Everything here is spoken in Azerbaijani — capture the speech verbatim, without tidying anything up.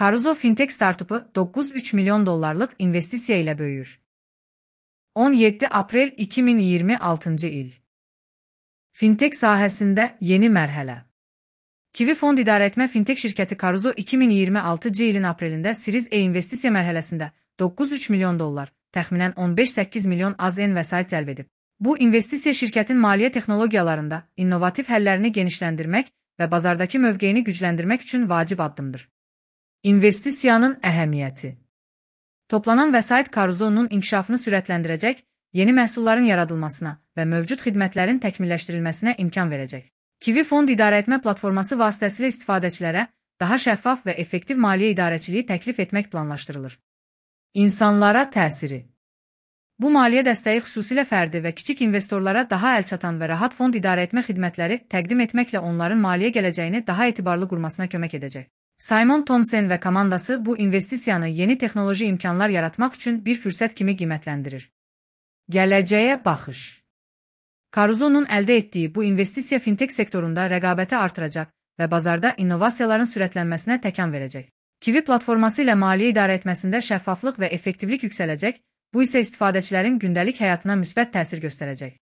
Caruso Fintech startupu dokuz üç milyon dollarlık investisiya ilə böyüyür. on yeddi aprel iki min iyirmi altıncı il. Fintech sahəsində yeni mərhələ. Kiwi Fond İdarəetmə Fintech şirkəti Caruso iki min iyirmi altıncı ilin aprelində Series E investisiya mərhələsində dokuz üç milyon dollar, təxminən on beş səkkiz milyon A Z N vəsait cəlb edib. Bu investisiya şirkətin maliyyə texnologiyalarında innovativ həllərini genişləndirmək və bazardakı mövqeyini gücləndirmək üçün vacib addımdır. İnvestisiyanın əhəmiyyəti. Toplanan vəsait Caruso'nun inkişafını sürətləndirəcək, yeni məhsulların yaradılmasına və mövcud xidmətlərin təkmilləşdirilməsinə imkan verəcək. Kiwi Fond İdarəetmə platforması vasitəsilə istifadəçilərə daha şəffaf və effektiv maliyyə idarəçiliyi təklif etmək planlaşdırılır. İnsanlara təsiri. Bu maliyyə dəstəyi xüsusilə fərdi və kiçik investorlara daha əlçatan və rahat fond idarəetmə xidmətləri təqdim etməklə onların maliyyə gələcəyini daha etibarlı qurmasına kömək edəcək. Simon Thomson və komandası bu investisiyanı yeni texnoloji imkanlar yaratmaq üçün bir fürsət kimi qiymətləndirir. Gələcəyə baxış. Caruso'nun əldə etdiyi bu investisiya fintech sektorunda rəqabəti artıracaq və bazarda innovasiyaların sürətlənməsinə təkan verəcək. Kiwi platforması ilə maliyyə idarəetməsində şəffaflıq və effektivlik yüksələcək, bu isə istifadəçilərin gündəlik həyatına müsbət təsir göstərəcək.